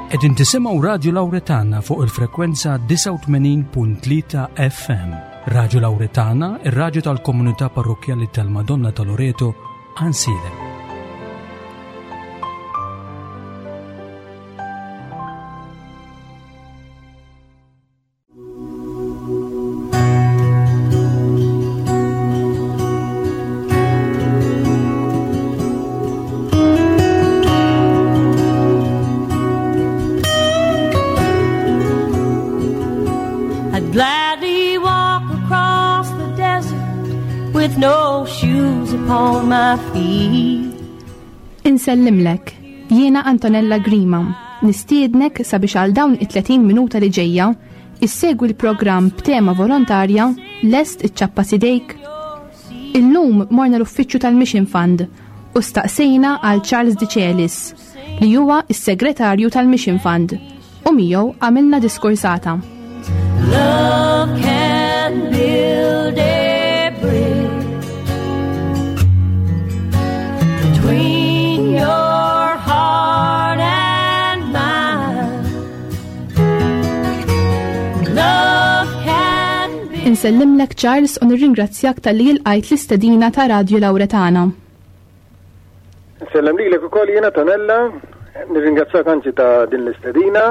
Qegħdin tisimgħu Radju Lawretana fuq il-frekwenza 89.3 FM. Radju Lawretana, ir-radju tal-komunità parrokkjali tal-Madonna ta' Loreto, Għansielem. I'd gladly walk across the desert with no shoes upon my feet. Insellimlek, jiena Antonella Grima, nistiednek sabiex għal dawn it-30 minuta li ġejja issegwi l-programm b'tema volontarja Lest iċ-ċappa sidejk. Illum morna l-uffiċċju tal-Mission Fund u staqsejna għal Charles Dicelis li huwa s-segretarju tal-Mission Fund u miegħu għamilna diskursata. Love can build a bridge between your heart and mine. Love can be. Insellimlek Charles u nirringrazzjak talli ilqajt l-istedina ta' Radju Lawretana. Nsellem lilek ukoll jiena Tonella, nirringrazzjak anzi ta' din l-istedina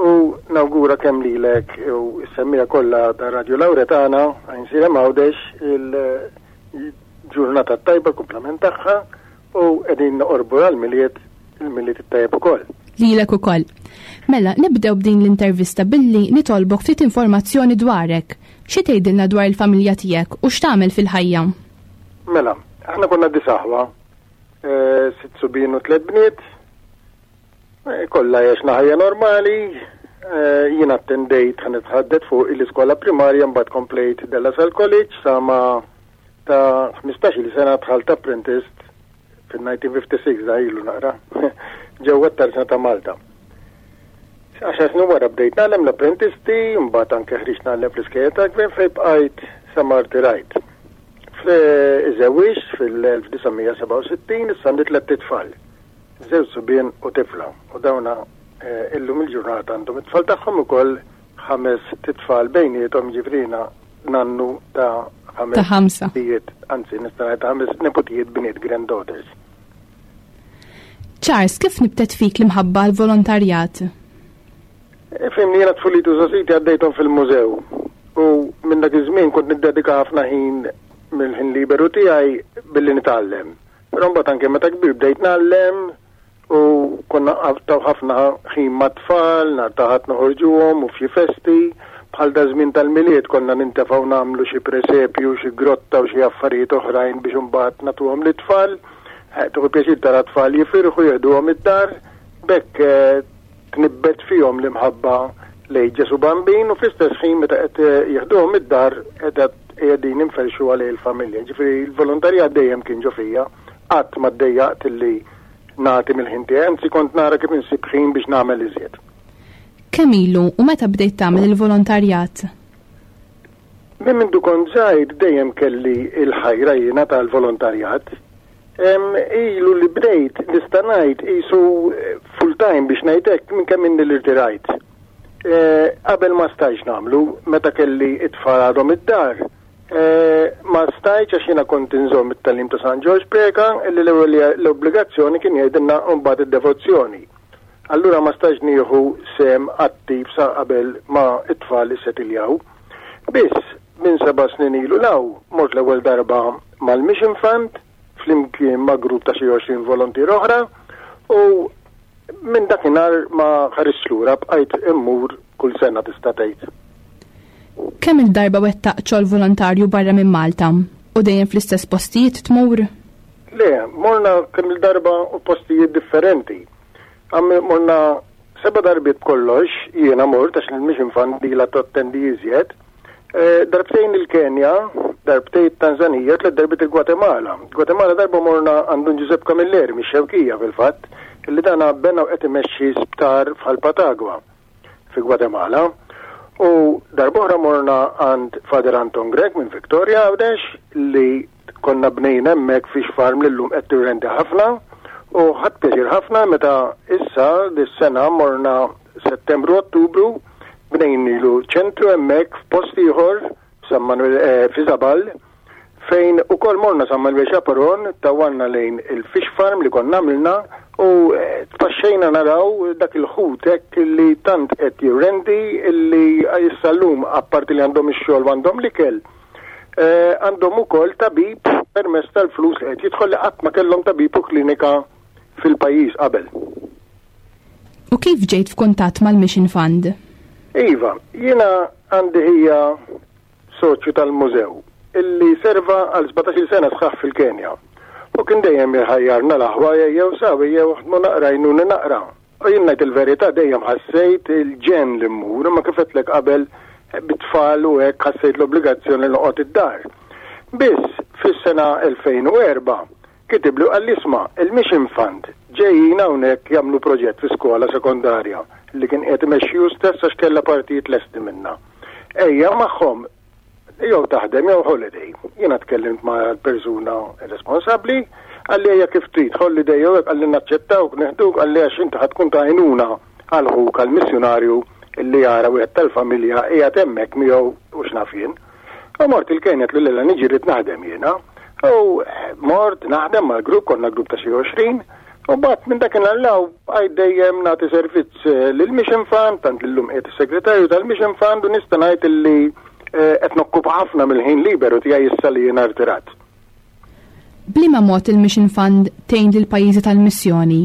u nawgura kemm lilek u s-semmiegħa kollha ta' Radio Lawretana Għajnsielem Għawdex il-ġurnata t-tajba l-kumplament tagħha u qegħdin noqorbu għall-Milied, il-Milied it-tajjeb ukoll. Lilek ukoll. Mela, nibdew b'din l-intervista billi nitolbok ftit informazzjoni dwarek. Xi tgħidilna dwar il-familja tiegħek u x'tagħmel fil-ħajja? Mela, aħna konna disaħwa, eh, sitt subien u tliet bniet, eh, kollha għexna ħajja normali, eh, jien attendejt ħan nitħaddet fuq l-iskola primarja mbagħad komplejt Della Salle College sa ma ta' 15-il sena dħalt apprentist fil-1956 da ilu naqra ġewwa t-Tarzna ta' Malta. Għaxar snin wara bdejt nagħlem l-apprentisti, mbagħad anke ħriġt nagħlem fl-iskejjel tal-gvern fejn bqajt sa ma rtirajt. Iżewwiġt fil-1967, issa għandi tlett itfal, żewġ subien u tifla, u dawna eh, illum il-ġurnata għandhom it-tfal tagħhom ukoll ħames titfal bejniethom jiġifieri jiena nannu ta' ħames Ta' ħamsa. Tijiet, anzi nista' ngħid ta' ħames neputijiet bniet granddaughters. Charles, kif nibtet fik l-imħabba għall-volontarjat? Ifhimni jiena tfuliti u żgħożiti għaddejthom fil-mużew u minn dak iż-żmien kont niddedika ħafna ħin mill-ħin liberu tiegħi billi nitgħallem. Però mbagħad anke meta kbir bdejt ngħallem u konna nqattgħu ħafna ħin mat-tfal, nhar ta' Ħadd noħorġuhom u f'xi festi, bħal daż-żmien tal-Milied konna nintefgħu nagħmlu xi presepju, xi grotta u xi affarijiet oħrajn biex imbagħad nagħtuhom lit-tfal. Tieħu pjaċir tara t-tfal jifirħu, jeħduhom id-dar. B'hekk tnibbet fihom l-imħabba lejn Ġesù Bambin u fl-istess ħin meta qed jieħduhom id-dar qegħdin inferrxuha lejn il-familja. Ġifieri l-volontarjat dejjem kien ġo fija, qatt ma ddejjaqt illi nagħti mill-ħin tiegħi, anzi kont nara kif insib ħin biex nagħmel iżjed. Kemm ilu u meta bdejt tagħmel il-volontarjat? Minn mindu kont żgħir dejjem kelli l-ħajra jiena tal-volontarjat. Ilu li bdejt nista' ngħid qisu eh, full time biex ngħid hekk minn kemm inni li rtirajt. Eh, qabel ma stajtx nagħmlu meta kelli it-tfal għadhom id-dar. Eh, ma stajtx għax jiena kont inżomm it-tagħlim ta' San Ġorġ Preca illi l-ewwel l-obbligazzjoni kien jgħidilna mbagħad id-devozzjoni. Allura ma stajtx nieħu sehem attiv sa qabel ma t-tfal issetiljaw. Biss, minn seba' snin ilu 'l hawn, mort l-ewwel darba mal-Mission Fund flimkien ma' grupp ta' xi 20 volontier oħra u minn dakinhar ma ħaristx lura bqajt immur kull sena tista' tgħid. Kemm-il darba wettaqt xogħol volontarju barra minn Malta u dejjem fl-istess postijiet tmur? Le, morna kemm-il darba u postijiet differenti. Morna Seba' darbiet b'kollox jiena mort għax il-Mission Fund ilha tattendi iżjed. Eh, darbtejn il-Kenja, darbtejn it-Tanzanija, tliet darbiet il-Gwatemala. Gwatemala darba morna għand Dun Giuseppe Camilleri mix-Xewkija fil-fatt, illi dana bena u qed imexxi sptar f'Ħal Patagua fi Gwatemala. U darb'oħra morna għand Father Anton Grech minn Victoria Għawdex li Konna bnejna hemmhekk fish farm li llum qed tirrendi ħafna. U ħadt pjaċir ħafna meta issa dis-sena morna Settembru Ottubru bnejnilu ċentru hemmhekk f'post ieħor San Manuel eh, fi Zabal fejn ukoll morna San Manuel Chaperon tawalna lejn il-fish farm li konna għamilna u eh, tpaxxejna naraw dak il-ħut hekk li tant qed jirrendi li issa llum apparti li għandhom ix-xogħol għandhom l-ikel eh, għandhom ukoll tabib permezz tal-flus li qed jidħol li qatt ma kellhom tabib u klinika fil-pajjiż qabel. U kif ġejt f'kuntatt mal-Mission Fund? Iva, jiena għandi ħija soċju tal-mużew illi serva għal 17 sena sħaħ fil-Kenja. U kien dejjem jħajjarna l-aħwa jew sawi jew ħdmu naqra jnuni naqra. U jien ngħid il-verità dejjem ħassejt il-ġenn li mmur, imma kif għedtlek qabel bit-tfal u hekk ħassejt l-obbligazzjoni li noqgħod id-dar. Biss fis-sena 2004 kitibli u qalli isma' il-Mission Fund ġejjin hawnhekk jagħmlu proġett fi skola sekondarja li kien qiegħed imexxi hu stess għax kellha partijiet lesti minnha. Ejja magħhom jew taħdem jew holiday. Jiena tkellimt ma' l-persuna responsabbli, qalli ejja kif trid, holiday jew hekk, qalli naċċettawk, neħduk, qalli għax inti ħa tkun ta' għajnuna għal ħuk għal missjunarju li jara wieħed tal-familja qiegħed hemmhekk miegħu u x'naf jien. U mort il-Kenja tlu lilla niġi rrid naħdem jiena. U mort naħdem mal-grupp, konna grupp ta' xi 20, U bat minn dakinhar 'l hawn bqajt dejjem nagħti servizz eh, lill-Mission Fund, tant li llum qiegħed is-segretarju tal-Mission Fund u nista' ngħid illi eh, qed nokkupa ħafna mill-ħin liberu tiegħi issa li jiena rtirat. Bliema mod il-Mission Fund tgħin lill-pajjiżi tal-missjoni?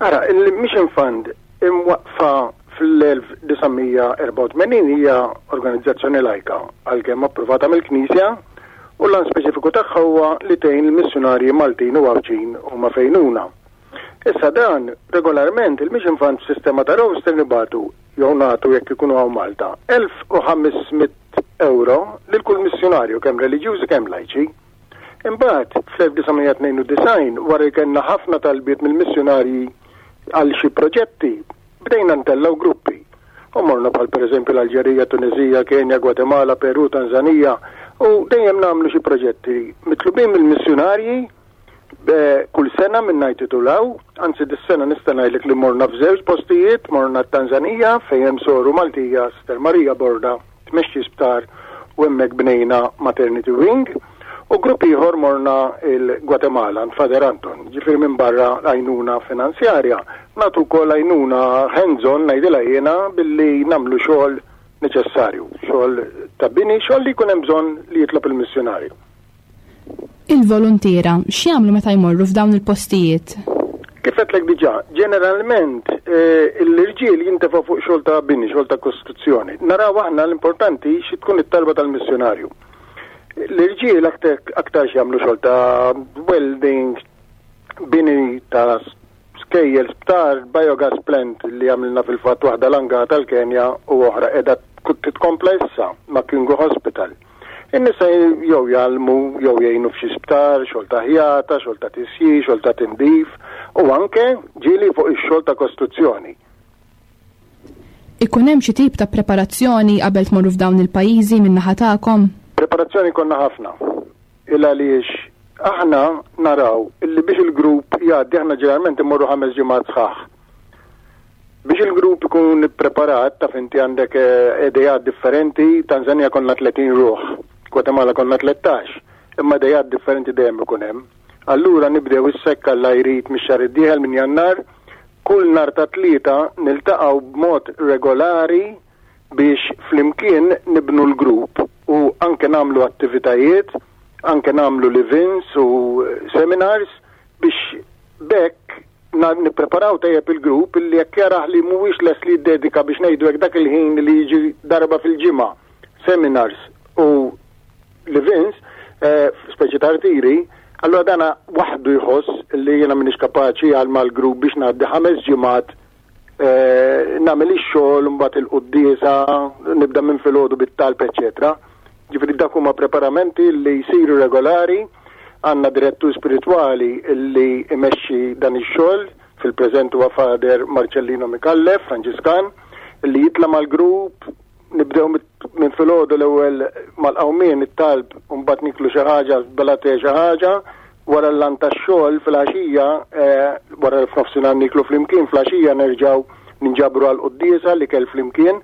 Ara, il-Mission Fund imwaqqfa fl-1984 hija organizzazzjoni lajka għalkemm approvata mill-Knisja u l-għan speċifiku tagħha huwa li tgħin il-missjunarji Maltin u Għawdxin huma fejnuna. Issa dan, regolarment, il-Mission Fund f'sistema ta' roster nibagħtu jew nagħtu jekk ikunu hawn Malta 1500 euro lil kull missjunarju kemm reliġjużi kemm lajċi. Imbagħad, fl-1992, wara li kellna ħafna talbiet mill-missjunarji għal xi proġetti, bdejna ntellgħu gruppi. U morna bħal pereżempju l-Alġerija, Tuneżija, Kenja, Gwatemala, Peru, Tanzanija, u dejjem nagħmlu xi proġetti mitlubin mill-missjunarji kull sena minn ngħid titulaw, anzi dis-sena nista' ngħidlek li morna f'żewġ postijiet, morna t-Tanzanija fejn hemm soru Maltija, Sister Marija Borda, tmexxi sptar u hemmhekk bnejna maternity wing u grupp ieħor morna il-Gwatemala għand Father Anton, ġifieri minn barra għajnuna finanzjarja, nagħtu wkoll għajnuna hands-on ngħidilha jiena billi nagħmlu xogħol neċessarju, xogħol ta' bini, xogħol li jkun hemm bżonn li jitlob il-missjunarju. Il-voluntiera x'jagħmlu meta jmorru f'dawn il-postijiet? Kif għedtlek diġà, ġeneralment eh, l-irġiel jintefgħu fuq xogħol ta' bini, xogħol ta' kostruzzjoni. Naraw aħna l-importanti xi tkun it-talba tal-missjonarju. L-irġiel aktar jagħmlu xogħol ta' welding, bini ta' skejjel, sptar, biogas plant li għamilna fil-fatt waħda langa tal-Kenja u oħra qiegħda titkompla issa ma' Kingo Hospital. In-nisa jew jgħallmu jew jgħinu f'xi sptar, xogħol ta' ħjata, xogħol ta' tisjir, xogħol ta' tindif u anke ġieli fuq ix-xogħol ta' kostruzzjoni. Ikun hemm xi tip ta' preparazzjoni qabel tmorru f'dawn il-pajjiżi min-naħa tagħkom? Preparazzjoni konna ħafna. Il għaliex aħna naraw illi biex il-grupp jgħaddi aħna ġeneralment immorru ħames ġimgħat sħaħ. Biex il-grupp ikun ippreparat, taf inti għandek eh, idejat differenti, Tanzania konna 30 ruħ, Guatemala konna 13, imma idejat differenti dejjem ikun hemm. Allura nibdew is-sekk Alla jrid mix-xahar id-dieħel minn Jannar, kull nhar ta' tlieta niltaqgħu b'mod regolari biex flimkien nibnu l-grupp u anke nagħmlu attivitajiet, anke nagħmlu live-ins u seminars biex b'hekk nippreparaw tajjeb il-grupp illi jekk jarah li mhuwiex lest li jiddedika biex ngħidu hekk dak il-ħin li jiġi darba fil-ġimgħa seminars u live-ins, eh, speċi ta' rtiri, allura dana waħdu jħoss li jiena m'iniex kapaċi għal mal-grupp biex ngħaddi ħames ġimgħat eh, nagħmel ix-xogħol mbagħad il-quddiesa, nibda minn filgħodu bit-talb, eċetera. Ġifieri dak huma preparamenti li jsiru regolari, għandna direttur spiritwali li imexxi dan ix-xogħol, fil-preżent huwa Father Marcellino Micallef, Franġiskan, li jitla' mal-grupp, nibdew minn filgħodu l-ewwel mal-qawmien it-talb u mbagħad niklu xi ħaġa, bela te xi ħaġa. Wara l-lan tax-xogħol fil-għaxija, eh, wara l-fnofsinhar niklu flimkien, fl-għaxija nerġgħu ninġabru għal quddiesa li kell flimkien,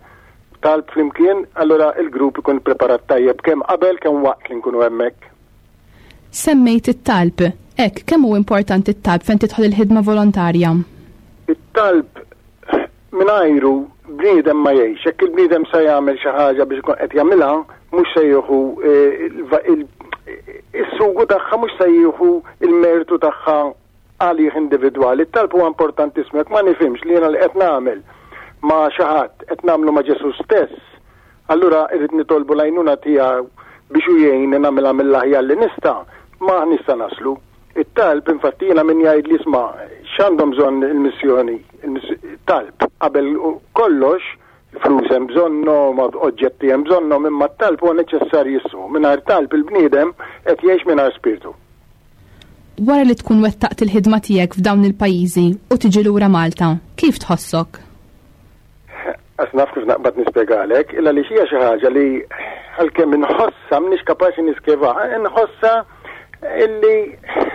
talb flimkien, allura il-grupp ikun preparat tajjeb kemm qabel kemm waqt li nkunu hemmhekk. Semmejt it-talb. Hekk, kemm hu importanti t-talb fejn tidħol il-ħidma volontarja? It-talb mingħajru bniedem ma jgħix. Jekk il-bniedem se jagħmel xi ħaġa biex ikun qed jagħmilha, mhux se jieħu eh, is-sugu tagħha mhux se jieħu il-mertu tagħha għalih individwali. It-talb huwa importantissimu jekk ma nifhimx li jiena li qed nagħmel ma' xi ħadd qed nagħmlu ma' Ġesù stess, allura irrid nitolbu l-għajnuna tiegħu biex hu jgħinni nagħmilha mill-aħjar li nista', ma nista' naslu. It-talb, infatti jiena min jgħidli isma' x'għandhom bżonn il-missjoni, talb qabel kollox, flus hemm bżonnhom, oġġetti hemm bżonnhom, imma t-talb huwa neċessarjissimu. Mingħajr talb il-bniedem qed jgħix mingħajr spirtu. Wara li tkun wettaqt il-ħidma tiegħek f'dawn il-pajjiżi u tiġi lura Malta, kif tħossok? Għas naf kif naqbad nispjegalek, illa li hija xi ħaġa li għalkemm inħossha m'iniex kapaċi niskeva, inħossha illi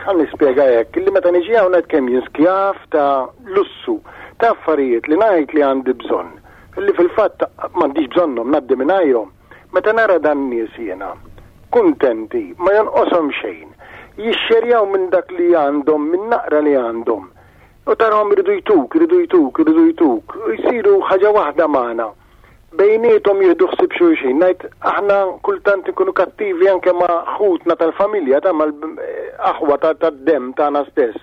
għan nispjega hekk, illi meta niġi hawn ngħid kemm jien skjav ta' lussu, ta' affarijiet li ngħid li għandi bżonn, illi fil-fatt m'għandix bżonnhom ngħaddi mingħajrhom. Meta nara dan nies jiena, kuntenti, ma jonqoshom xejn, jixxerjaw minn dak li għandhom, minn naqra li għandhom. U tarahom iridu jtuk, iridu jtuk, iridu jtuk, u jsiru ħaġa waħda magħna. Bejniethom jieħdu ħsieb xulxin. Ngħid aħna kultant inkunu kattivi anke ma' ħutna tal-familja, ta' mal-aħwa tad-demm tagħna stess.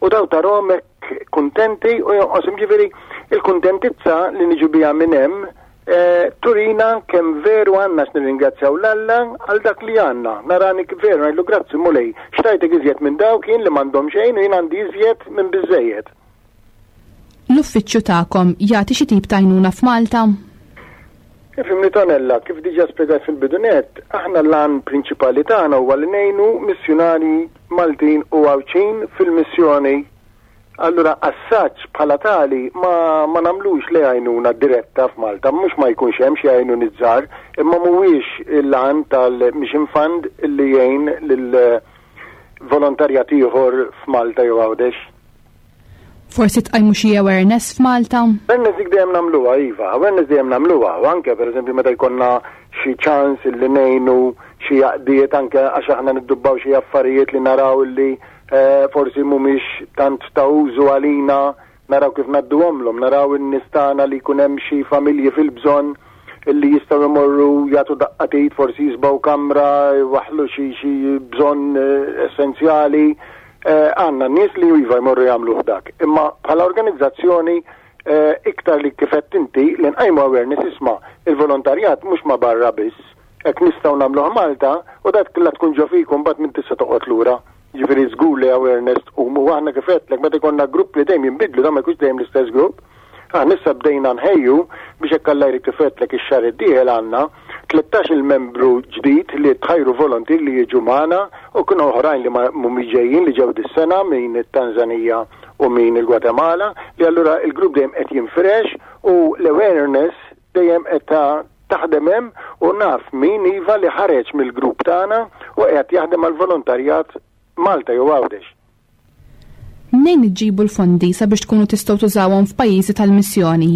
U daw tarahom hekk kuntenti u jonqoshom ġifieri il-kuntentizza li niġu biha minn hemm eh, turina kemm veru għandna x'nirringrazzjaw l-Alla għal dak li għandna. Narani veru ngħidlu grazzi Mulej, xtajtek iżjed minn dawk jien li m'għandhom xejn u jien għandi iżjed minn biżejjed. L-uffiċċju tagħkom jagħti xi tip ta' għajnuna f'Malta? Ifhimni Tonella, kif diġà spjegajt fil-bidu nett, aħna l-għan prinċipali tagħna huwa li ngħinu missjunarji Maltin u Għawdxin fil-missjoni. Allura assaġġ bħala tali ma, ma nagħmlux le għajnuna diretta f'Malta, mhux ma jkunx hemm xi għajnuniet żgħar, imma mhuwiex l-għan tal-Mission Fund li jgħin lil volontarjat ieħor f'Malta jew Għawdex. Forsi tqajmu xi awareness f'Malta? Awareness dik dejjem nagħmluha, iva, awareness dejjem nagħmluha, u anke pereżempju meta jkollna xi ċans li ngħinu xi jaqdiet anke għax aħna niddubbaw xi affarijiet li naraw li eh, forsi mhumiex tant ta' użu għalina, naraw kif ngħadduhomlhom, naraw in-nies tagħna li jkun hemm xi familji fil-bżonn illi jistgħu jmorru jagħtu daqqa t'id, forsi jisbaw kamra, jwaħħlu xi xi bżonn eh, essenzjali. Eh, għandna nies li iva jmorru jagħmlu dak. Imma bħala organizzazzjoni eh, iktar li kifett inti li nqajmu awareness isma' il-volontarjat mhux ma barra biss, hekk nistgħu nagħmluh Malta u dak la tkun ġo fikum mbagħad minn tista' toqgħod lura. Ġifieri żgur li awareness tqum u aħna kif għedtlek meta jkollna grupp li dejjem jinbidlu dan ma jkunx dejjem l-istess grupp. Aħna issa bdejna nħejju biex hekk Alla jrid kif għedtlek ix-xahar id-dieħel għandna 13-il membru ġdid li tħajru volontier li jiġu magħna u kienu oħrajn li mhumiex ġejjin li ġew dis-sena min it-Tanzanija u min il-Gwatemala li allura il-grupp dejjem qed jinfirex u l-awareness dejjem qed taħdem hemm u naf min iva li ħareġ mill-grupp tagħna u qiegħed jaħdem għall-volontarjat Malta jew Għawdex. Mnejn iġġibu l-fondi sabiex tkunu tistgħu tużawhom f'pajjiżi tal-missjoni?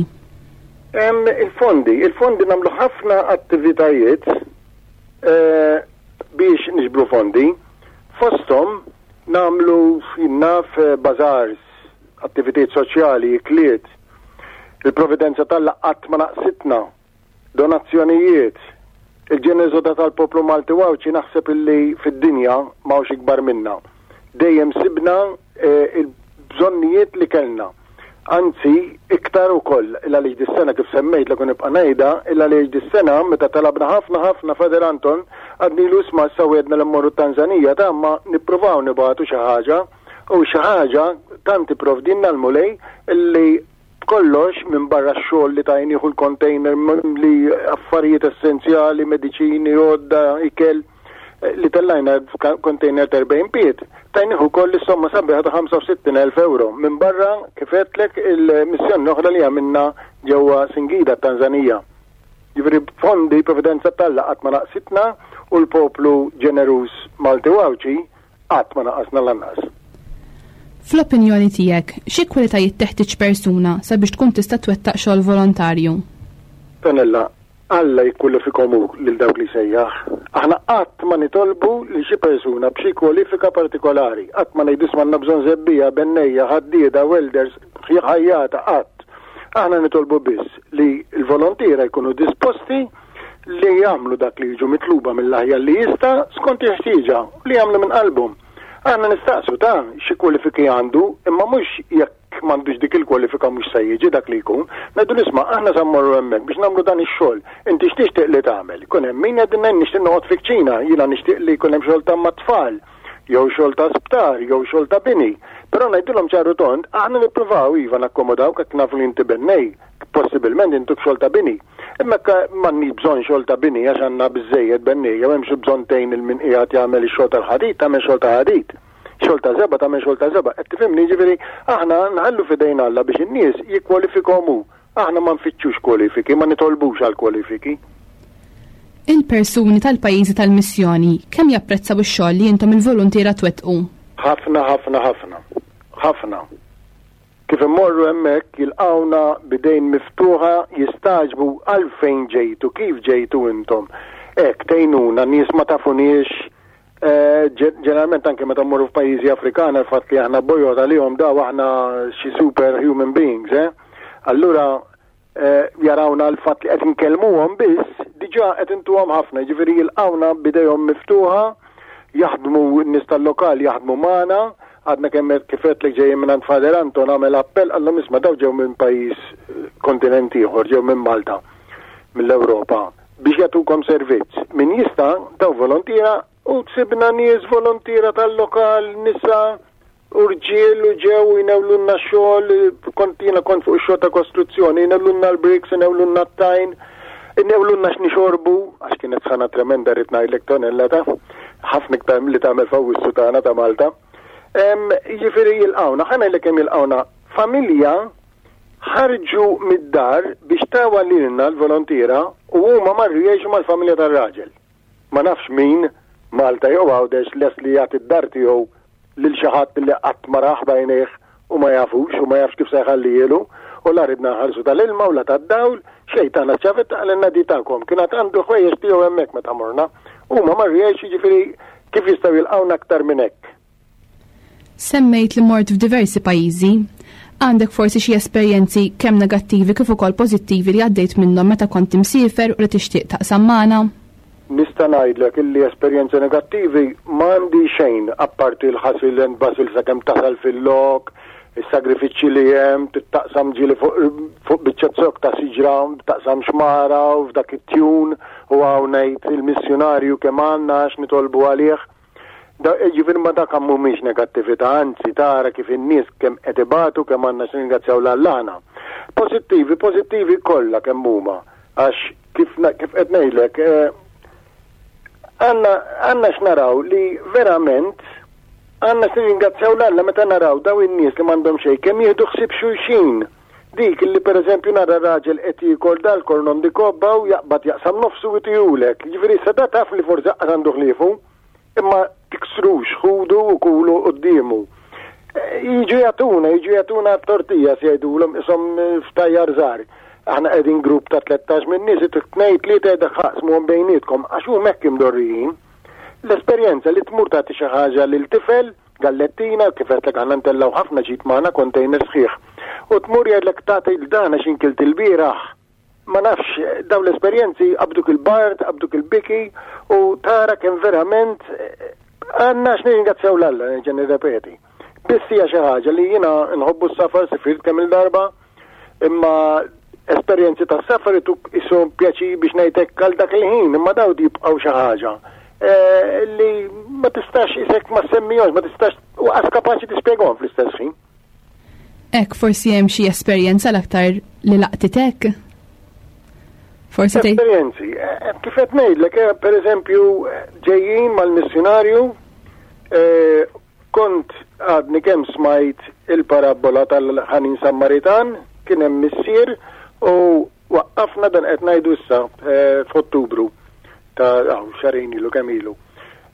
Il-fondi, il-fondi nagħmlu ħafna attivitajiet eh, biex niġbru fondi. Fosthom nagħmlu naf eh, bazaars, attivitajiet soċjali, ikliet, il-providenza tal qatt ma naqsitna Donazzjonijiet, Il-ġeneżotà tal-poplu Malti u Għawdxi naħseb illi fid-dinja m'hawnx ikbar minnha. Dejjem sibna il-bżonnijiet li kellna. Anzi, iktar ukoll, il għaliex dis-sena kif semmejtlek u nibqa' ngħidha, il għaliex dis-sena meta talabna ħafna ħafna Father Anton, għadnilu isma' issa wegħdna li mmorru t-Tanzanija ta' imma nippruvaw nibagħtu xi ħaġa u xi ħaġa tant ipprovdielna l-Mulej illi B'kollox, minbarra x-xogħol li tajnieh u l-container mimli affarijiet essenzjali, mediċini, għodda, ikel, li tellajna f'container ta' 40 pied, tajnieh ukoll is-somma sabiħa ta' 65,000 ewro, minbarra, kif għedtlek, il-missjoni l-oħra li għamilna ġewwa Singida, t-Tanżanija. Jiġifieri b'fondi, providenza t'Alla qatt ma naqsitna u l-poplu ġeneruż Malti u Għawdxi. Qatt ma naqasna lanqas. Fl-opinjoni tiegħek, xi kwalitajiet teħtieġ persuna sabiex tkun tista' twettaq xogħol volontarju? Tonella, Alla jikkwalifikhom hu lil dawk li jsejjaħ. Aħna qatt ma nitolbu lil xi persuna b'xi kwalifika partikolari. Qatt ma ngħidu isma' għandna bżonn żebbiegħa, bennejja, ħaddieda, welders, ħajjata, qatt. Aħna nitolbu biss li l-volontiera jkunu disposti li jagħmlu dak li jiġu mitluba mill-aħjar li jista' skont il-ħtieġa u li jagħmlu minn qalbhom. Aħna nistaqsu ta' xi kwalifiki għandu imma mhux jekk m'għandux dik il-kwalifika mhux se jiġi dak li jkun. Ngħidu isma' aħna sa mmorru hemmhekk biex nagħmlu dan ix-xogħol. Inti x'tixtieq li tagħmel? Ikun hemm min jgħidilna nixtieq noqgħod fi kċina, jiena nixtieq li jkun hemm xogħol ta' mat-tfal, jew xogħol ta' sptar, jew xogħol ta' bini. Però ngħidilhom ċaru tond, aħna nippruvaw iva nakkomodaw hekk nafu li inti bennej, possibilment intuk xogħol ta' bini. Imma jekk m'għandniex bżonn xogħol ta' bini għax għandna biżżejjed bennejja u hemmx bżonn tgħin il min qiegħed jagħmel ix-xogħol tal-ħadid, tagħmel xogħol ta' ħadid. Xogħol ta' żebgħa tagħmel xogħol ta' żebgħa. Qed tifhimni? Jiġifieri aħna nħallu f'idejn Alla biex in-nies jikkwalifikhom hu. Aħna ma nfittxux kwalifiki, ma nitolbux għal kwalifiki. Il-persuni tal-pajjiżi tal-missjoni kemm japprezzaw ix-xogħol li intom il-voluntiera twettqu? Ħafna, ħafna, ħafna. Ħafna. Kif immorru hemmhekk jilqgħuna b'idejn miftuħa jistagħġbu għalfejn ġejtu, kif ġejtu intom. Hekk tgħinuna, nies ma tafuniex. Eh, ġeneralment anke meta mmorru f'pajjiżi Afrikana l-fatt li aħna bojod għalihom daw aħna xi super human beings, eh? Allura eh, jarawna l-fatt li qed nkellmuhom biss, diġà qed intuhom ħafna, jiġifieri jilqgħuna b'idejhom miftuħa, jaħdmu n-nies tal-lokal jaħdmu magħna, għadna kemm kif għedtlek ġejjin minn Father Anton għamel appell qallhom isma' daw ġew minn pajjiż eh, kontinent ieħor, ġew minn Malta, mill-Ewropa, biex jagħtukom servizz. Min jista' daw volontiera u tsibna nies volontiera tal-lokal, nisa, u rġiel u ġew u jnewlunna xogħol, kont jiena kont fuq ix-xogħol ta' kostruzzjoni, jnewlunna l-bricks, jnewlunna t-tajn, jnewlunna x'nixorbu, għax kienet sħana tremenda rrid ngħidlek tonella ta' ħafna iktar milli tagħmel f'Awwissu tagħna ta' Malta. Jiġifieri jilqgħuna, ħa ngħidlek kemm jilqgħuna. Familja ħarġu mid-dar biex tawa lilna l-volontiera u huma marru jgħixu mal-familja tar-raġel. Ma nafx min, Malta jew Għawdex, lest li jagħti d-dar tiegħu lil xi ħadd li qatt ma rah b'għajnejh u ma jafux u ma jafx kif se jħallihielu u la ridna nħallsu tal-ilma u la tad-dawl, xejn tana ċ-ċavetta qalilna di tagħkom. Kien għad għandu ħwejjeġ tiegħu hemmhekk meta morna. Huma marru jgħixu jiġifieri kif jistgħu jilqgħuna aktar minn hekk. Semmejt li mort f'diversi pajjiżi. Għandek forsi xi esperjenzi kemm negattivi kif ukoll pożittivi li għaddejt minnhom meta kont imsiefer u li tixtieq taqsam magħna? Nista' ngħidlek illi esperjenzi negattivi m'għandi xejn apparti l-ħasil and bustle sakemm tasal fil-lok, is-sagrifiċċji li hemm, taqsam ġieli fuq fuq biċċa zokk ta' siġra, taqsam xmara u f'dak it-tjun u hawn ngħid il-missjunarju kemm għandna għax nitolbu għalih. Jiġifieri ma dak mhumiex negattività, anzi tara kif in-nies kemm qed ibatu, kemm għandna x'nirringrazzjaw 'l Alla aħna. Pożittivi, pożittivi kollha kemm huma, għax kif kif qed ngħidlek eh, għandna għandna x'naraw li verament għandna x'nirringrazzjaw 'l Alla meta naraw daw in-nies li m'għandhom xejn kemm jieħdu ħsieb xulxin. Dik li pereżempju nara raġel qed jiekol dal-kornon di kobba u jaqbad jaqsam nofsu u jtihulek. Jiġifieri issa da taf li forsi aqqas għandu ħliefu. Imma tiksrux, ħudu u kulu quddiemu. Jiġu jagħtuna, jiġu jagħtuna t-tortilla se jgħidulhom ishom ftajjar żgħar. Aħna qegħdin grupp ta' 13 minn nies, tnejn tlieta jgħidlek ħaqsmuhom bejnietkom għax huma hekk imdorrijin. L-esperjenza li tmur tagħti xi ħaġa lil tifel Gallettina, kif għedtlek aħna ntellgħu ħafna ġid magħna, container sħiħ. U tmur jgħidlek tagħti 'l dan għax inkilt ilbieraħ. Ma nafx, dawn l-esperjenzi qabduk il-bard, qabduk il-biki u tara kemm verament għandna x'nirringrazzjaw 'l Alla, nerġa' nirrepeti. Biss hija xi ħaġa li jiena nħobbu s-safar, sifirt kemm il-darba, imma esperjenzi ta' safar ituk isom pjaċir biex ngħidlek għal dak il-ħin, imma daw jibqgħu xi ħaġa eh, li ma tistax isek ma semmihomx, ma tistax u qas kapaċi tispjegahom fl-istess ħin. Ek forsi hemm xi esperjenza l-aktar li laqtitek? Forsi tgħid. Esperjenzi, eh, kif qed ngħidlek, eh, pereżempju ġejjin mal-missjunarju Kont għadni kemm smajt il-parabbola tal-ħanin Sammaritan, kien hemm missier u waqqafna dan qed ngħidu issa eh, f'Ottubru ta' xarejn ilu kemm ilu.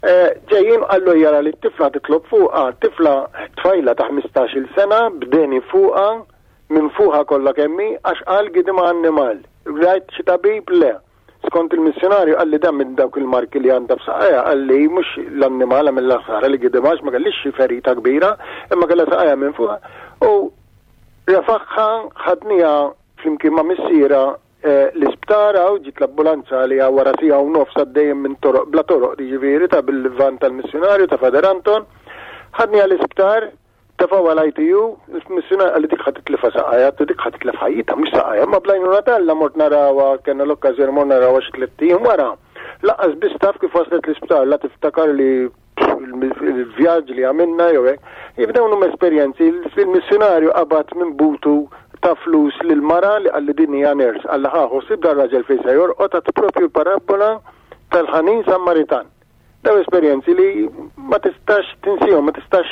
Eh, ġejjin qallu jara li t-tifla titlob fuqha, tifla tfajla ta' 15-il sena b'deni fuqha minn fuqha kollha kemmi għax qal gidima annimal. Rajt xi tabib le. Skont il-missjonarju qalli dan minn dawk il-marki li għandha f'saqajha qalli mhux l-annimal għamilha ħsara li gidimha għax ma kellix xi ferita kbira imma kellha saqajha minn fuqha. U refaħħa ħadniha flimkien ma' missierha eh, l-isptar hawn ġiet l-ambulanza li wara siegħa u nofs għaddejjem minn toroq bla toroq jiġifieri ta' bil-van tal-missjonarju ta' Father Anton. Ħadniha l-isptar Tefgħuha l-ITU, il-missjunarju qalli dik ħa titlifha saqajha, għedtlu dik ħa titlef ħajjitha mhux saqajha, imma bl-għajnuna t'Alla mort narawha, kellna l-okkażjoni mort narawha xi tlett ijiem wara. Lanqas biss taf kif waslet l-isptar, la tiftakar li il-vjaġġ li għamilna jew hekk. Jif dawn huma esperjenzi, il-missjunarju qabad minn butu ta' flus lil mara li qalli din hija nurse, qalli ħa ħossib dar-raġel fejn se jorqod għad propju l-parabbola tal-ħanin Sammaritan. Dawn esperjenzi li ma tistax tinsihom, ma tistax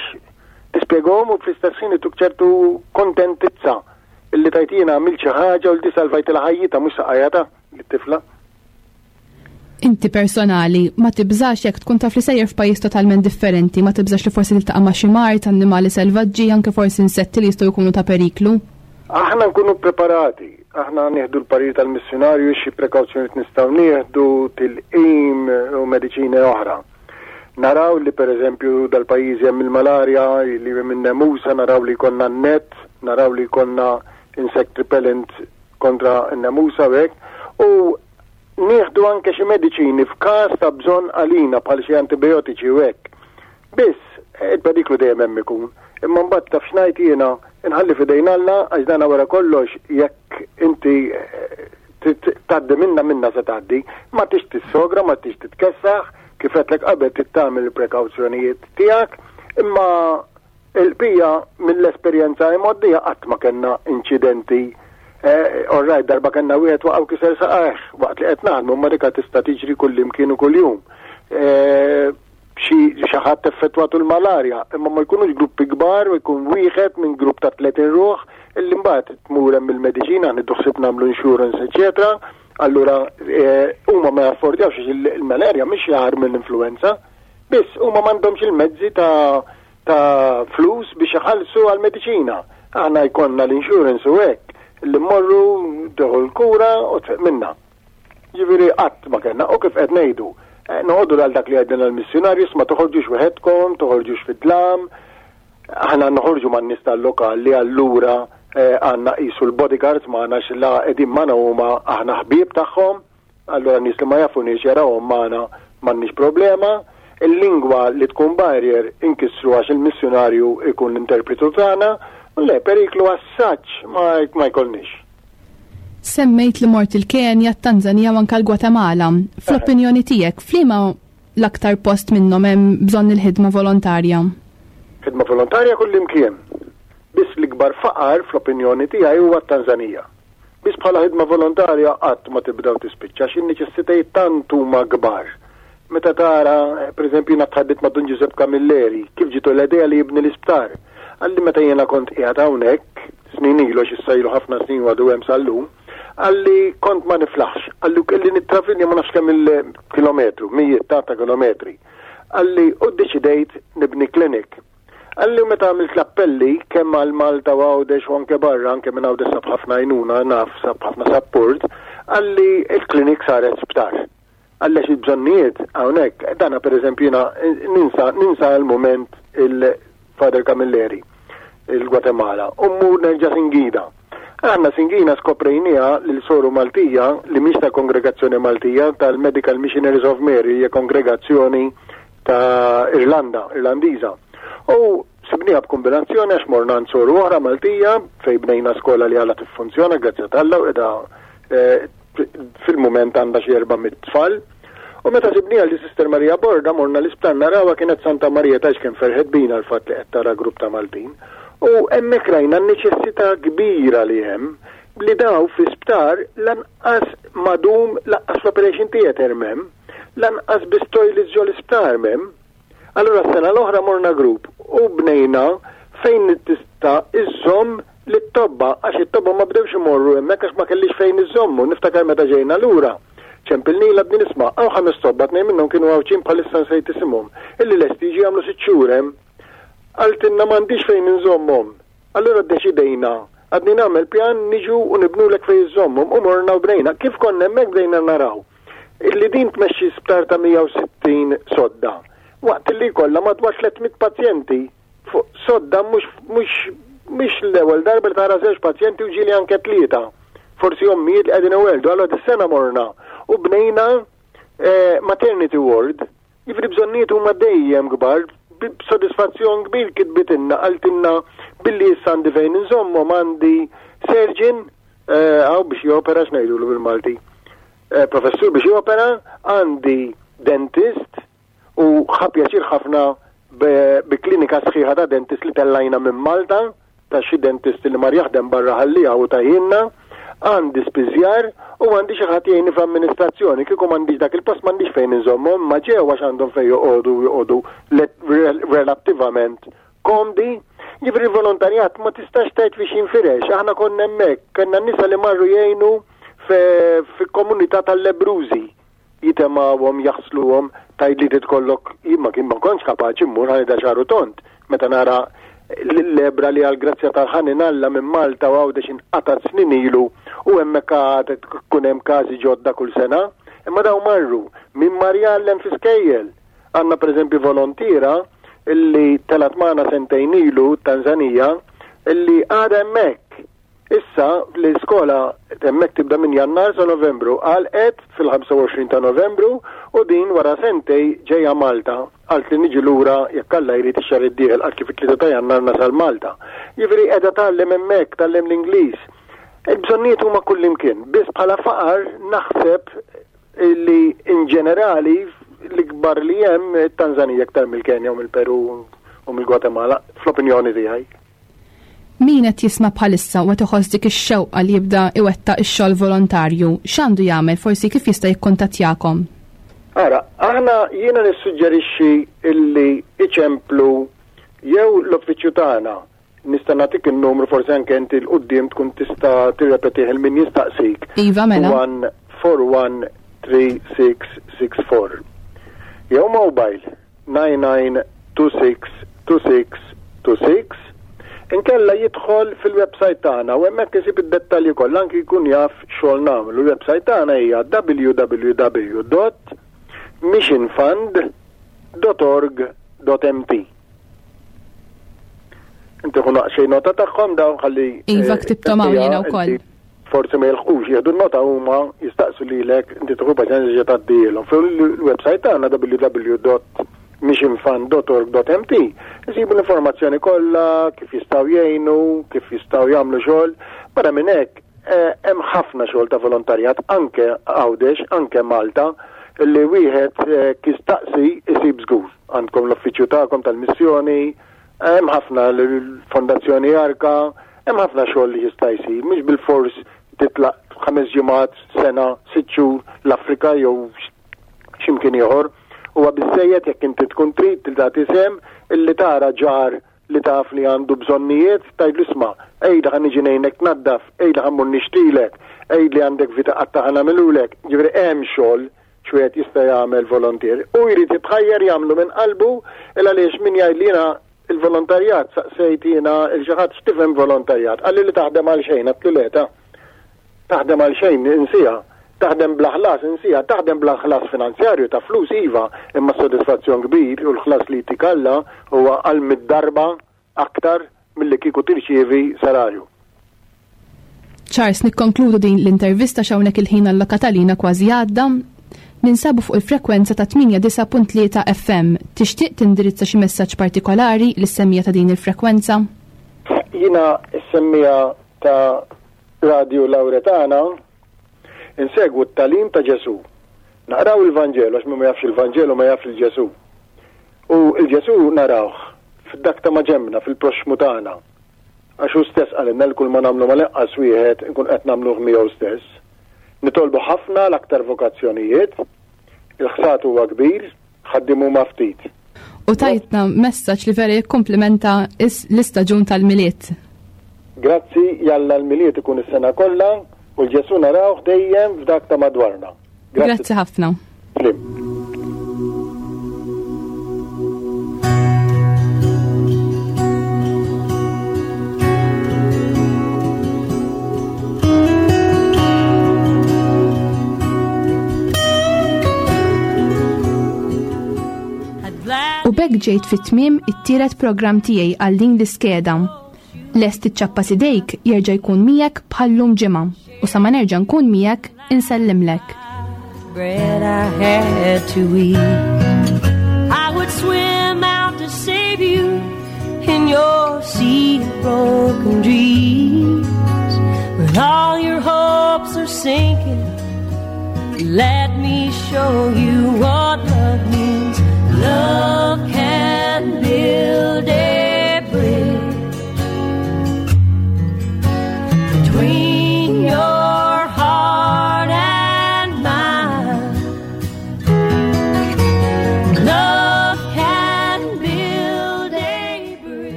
tispjegahom u fl-istess ħin ituk ċertu kontentizza illi tajt jiena għamilt xi ħaġa u li salvajtilha ħajjitha mhux saqajha ta' lit-tifla. Inti personali, ma tibżax jekk tkun taf li sejjer f'pajjiż totalment differenti, ma tibżax li forsi tiltaqa' ma' xi mard, annimali selvaġġi, anke forsi insetti li jistgħu jkunu ta' periklu? Aħna nkunu preparati, aħna nieħdu l-parir tal-missjunarju xi prekawzjonijiet nistgħu nieħdu, tilqim u mediċini oħra. Naraw li pereżempju dal-pajjiżi hemm il-malarja, li hemm in-nemusa, naraw li jkollna n-net, naraw li jkollna insect repellent kontra n-nemusa u hekk. U nieħdu anke xi mediċini f'każ ta' bżonn għalina bħal xi antibijotiċi u hekk. Biss, il-periklu dejjem hemm ikun. Imma mbagħad taf x'ngħid jiena, inħalli f'idejn Alla għax dana wara kollox jekk inti eh, tgħaddi minna minna se tgħaddi, ma tix tissogra, ma tix titkessaħ, kif għedtlek qabel trid tagħmel il-prekawzjonijiet tiegħek, imma Il-bqija mill-esperjenza imgħoddija qatt ma kellna inċidenti. Eh, all right, darba kellna wieħed waqgħu kiser saqajh waqt li qed naħdmu, imma dika tista' tiġri kullimkien u kuljum. Eh, xi xi ħadd effettwatu l-malarja, imma ma jkunux gruppi kbar u jkun wieħed minn grupp ta' 30 ruħ illi mbagħad tmur hemm il-mediċina, nieħdu ħsieb nagħmlu insurance, eċetera. Allura eh, huma ma jaffordjawx il-malarja mhix jahar mill-influenza, biss huma m'għandhomx il-mezzi ta' ta' flus biex iħallsu għall-mediċina. Aħna jkollna l-insurance u hekk li mmorru tieħu l-kura u tfiq minna. Ġifieri qatt ma kellna u kif qed ngħidu, eh, noqogħdu għal dak li għedna l-missjunarju ma toħorġux weħedkom, toħorġux fid-dlam. Aħna noħorġu man-nies tal-lokal li allura eh, għandna qisu l-bodyguards magħna x'la qegħdin magħna huma aħna ħbieb tagħhom. Allura nies li ma jafuniex jarawhom magħna m'għandniex problema. Il-lingwa li tkun barrier inkissru għax il-missjunarju jkun l-interpretu tagħna. Le, periklu għas-saċ ma, ma jkollniex. Semmejt li mort il-Kenja, t-Tanzania u anke l-Gwatemala. Fl-opinjoni tiegħek, f'liema l-aktar post minnhom hemm bżonn il-ħidma volontarja? Ħidma volontarja kullimkien. Biss l-ikbar faqar fl-opinjoni tiegħi huwa t-Tanzanija. Biss bħala ħidma volontarja qatt ma tibda u tispiċċa għax in-neċessitajiet tant huma kbar. Meta tara, pereżempju jiena tħaddit ma' Dun Ġużepp Camilleri, kif ġietu l-idea li jibni l-isptar. Qalli meta jiena kont qiegħed hawnhekk, snin ilu għax issa ilu ħafna snin u għadu hemm sal-lum, qalli kont ma niflaħx, qalli u kelli nittravilja ma nafx kemm il-kilometru, mijiet ta' ta' kilometri. Qalli u ddeċidejt nibni clinic. Qalli u meta għamilt l-appelli kemm għal Malta u Għawdex u anke barra, anke minn Għawdex sab ħafna għajnuna, naf sab ħafna sapport, qalli il-klinik saret sptar. Qalli għax il-bżonnijiet hawnhekk, dana pereżempju jiena ninsa ninsa għal mument il-Father Camilleri, il-Gwatemala, u mmur nerġa' Singida. Aħna Singina skoprejniha lil soru Maltija li mhix ta' kongregazzjoni Maltija tal-Medical Missionaries of Mary, hija kongregazzjoni ta' Irlanda, Irlandiża. U sibniha b'kombinazzjoni għax morna għand soru oħra Maltija fejn bnejna skola li għala tiffunzjona grazzi t'Alla u qiegħda eh, fil-mument għandha xi 400 tfal. U meta sibniha li Sister Maria Borda morna l-isptar narawha kienet Santa Maria tax kien ferħet bina l-fatt li qed tara grupp ta' Maltin. U hemmhekk rajna n-neċessità kbira li hemm li daw fi sptar lanqas madum lanqas l-operation theater m'hemm. Lanqas biss toilets ġo l-isptar m'hemm. Allura s-sena l-oħra morna grupp u bnejna fejn tista' iżżomm lit-tobba għax it-tobba ma bdewx imorru hemmhekk għax ma kellix fejn iżommu. Niftakar meta ġejna lura. Ċempilnilha b'din isma' hawn ħames tobba tnejn minnhom kienu Għawdxin bħalissa nsejt isimhom, illi lesti jiġu jagħmlu sitt xhur hemm. Qaltilna m'għandix fejn inżommhom. Allura ddeċidejna, għadni nagħmel pjan niġu u nibnulek fejn iżżommhom u morna u bnejna. Kif konna hemmhekk bdejna naraw illi din tmexxi sptar ta' 160 sodda waqt illi jkollha madwar 300 pazjenti fuq sodda mhux mhux mhix l-ewwel darba li tara żewġ pazjenti u ġieli anke tlieta. Forsi ommijiet li qegħdin iweldu. Allura dis-sena morna u bnejna eh, maternity ward. Jiġifieri bżonnijiet huma dejjem kbar, b'sodisfazzjon kbir kitbitilna qaltilna billi issa għandi fejn inżommhom għandi surgeon eh, għaw biex jopera x'ngħidulu bil-Malti. Eh, professur biex jopera, għandi dentist, U ħa pjaċir ħafna bi klinika sħiħa ta' dentist li tellajna minn Malta, ta' xi dentist li mar jaħdem barra ħalliha u tahielna, għandi spiżjar u għandi xi ħadd jgħinni fl-amministrazzjoni. Kieku m'għandix dak il-post m'għandix fejn inżommhom, imma ġew għax għandhom fejn joqogħdu u joqogħdu relattivament komdi. Jiġifieri l-volontarjat ma tistax tgħid fiex jinfirex. Aħna konna hemmhekk, kellna nisa li marru jgħinu fi komunità tal-lebbrużi. jitemgħuhom, jaħsluhom, tgħidli trid tkollok, jien ma kien ma kontx kapaċi mmur ħa nidha xagħru tond meta nara l-lebra li għall-grazzja tal-ħanin Alla minn Malta u Għawdex inqatgħet snin ilu u hemmhekk għad tkun hemm każi ġodda kull sena. Imma dawn marru, min mar jgħallem fi skejjel. Għandna pereżempju volontiera illi telgħet magħna sentejn ilu t-Tanzanija illi għadha hemmhekk Issa, l-iskola hemmhekk tibda minn Jannar sa Novembru. Għalqet fil-25 ta' Novembru u din wara sentej ġejja Malta. Qaltli niġi lura jekk Alla jrid ix-xahar id-dieħel, qaltli fit-3 ta' Jannar nasal Malta. Jiġifieri qiegħda tgħallem hemmhekk, tgħallem l-Ingliż. Il-bżonnijiet huma kullimkien. Biss bħala faqar naħseb li in ġenerali l-ikbar li hemm it-Tanzanija iktar mill-Kenja u mill-Peru u mill-Gwatemala, fl-opinjoni tiegħi. Min qed jisma' bħalissa u qed iħoss dik ix-xewqa li jibda iwettaq ix-xogħol volontarju, x'għandu jagħmel, forsi kif jista' jikkuntattjakom? Ara, aħna jiena nissuġġerixxi illi iċemplu jew l-uffiċċju tagħna, nista' nagħtik in-numru forsi anke inti 'l quddiem tkun tista' tirrepetih il min jistaqsik. Iva, mela. 141 3664. Jew mobile 99262626 inkella jidħol fil-website tagħna u hemmhekk isib id-dettalji kollha anki jkun jaf xogħol nagħmlu. Il-website tagħna hija www.missionfund.org.mt. Inti ħu naqxej nota tagħhom dawn ħalli. Iva eh, ktibthom hawn jiena wkoll. Forsi ma jilħqux jieħdu nota huma jistaqsu lilek inti tieħu paċenzja ġa tgħaddilhom. Fil-website tagħna www.missionfund.org.mt isibu l-informazzjoni kollha kif jistgħu jgħinu, kif jistgħu jagħmlu xogħol. Barra minn hekk eh, hemm ħafna xogħol ta' volontarjat anke Għawdex, anke Malta, li wieħed eh, kistaqsi isib żgur. Għandkom l-uffiċċju tagħkom tal-missjoni, hemm ħafna l-Fondazzjoni Arka, hemm ħafna xogħol li jista' jsir, mhux bilfors titlaq ħames ġimgħat, sena, sitt xhur l-Afrika jew x'imkien ieħor. Huwa biżżejjed jekk inti tkun trid li tagħti sehem illi tara ġar li taf li għandu bżonnijiet, tgħidlu isma' għidli ħa niġi ngħinek tnaddaf, għidli ħa mmur nixtrilek, għidli għandek vita qatta' ħa nagħmilulek. Ġifieri hemm xogħol x'wieħed jista' jagħmel volontier. U jrid jitħajjar jagħmlu minn qalbu il għaliex min jgħid li jiena il-volontarjat saqsejt jiena il xi ħadd x'tifhem volontarjat. Qalli li taħdem għal xejn, għedtlu le ta' taħdem għal xejn insiha. Taħdem bla ħlas insiha, taħdem bla ħlas finanzjarju ta' flus iva, imma s-sodisfazzjon kbir u l-ħlas li jtik Alla huwa għal mid-darba aktar milli kieku tirċievi salarju. Charles, nikkonkludu din l-intervista x'hawnhekk il-ħin allokat għalina kważi għadda. Ninsabu fuq il-frekwenza ta' 89.3 FM. Tixtieq tindirizza xi messaġġ partikolari lis-semmiegħa ta' din il-frekwenza? Jiena s-semmiegħa ta' Radio Lauretana Insegwu t-tagħlim ta' Ġesù. Naqraw il-Vanġelu għax min ma jafx il-Vanġelu ma jafx il-Ġesù. U l-Ġesù narawh f'dak ta' maġenbna, fil-proxxmu tagħna. Għax hu stess qalilna li kull ma nagħmlu mal-inqas wieħed inkun qed nagħmluh miegħu stess. Nitolbu ħafna għal aktar vokazzjonijiet. Il-ħsad huwa kbir, ħaddiem huma ftit. U tajtna messaġġ li vera jikkumplimenta l-istaġun tal-Milied. Grazzi, jalla l-Milied ikun is-sena kollha u l-Ġesù narawh dejjem f'dak ta' madwarna. Grazzi ħafna. U bekk ġejt fit-tmiem it-tielet programm tiegħi għal din l-iskeda. Lest iċ-ċappa sidejk jerġa' jkun miegħek bħallum ġimgħa u sa ma nerġa' nkun miegħek insellimlek. Bread I had to eat. I would swim out to save you in your sea of broken dreams. When all your hopes are sinking, let me show you what.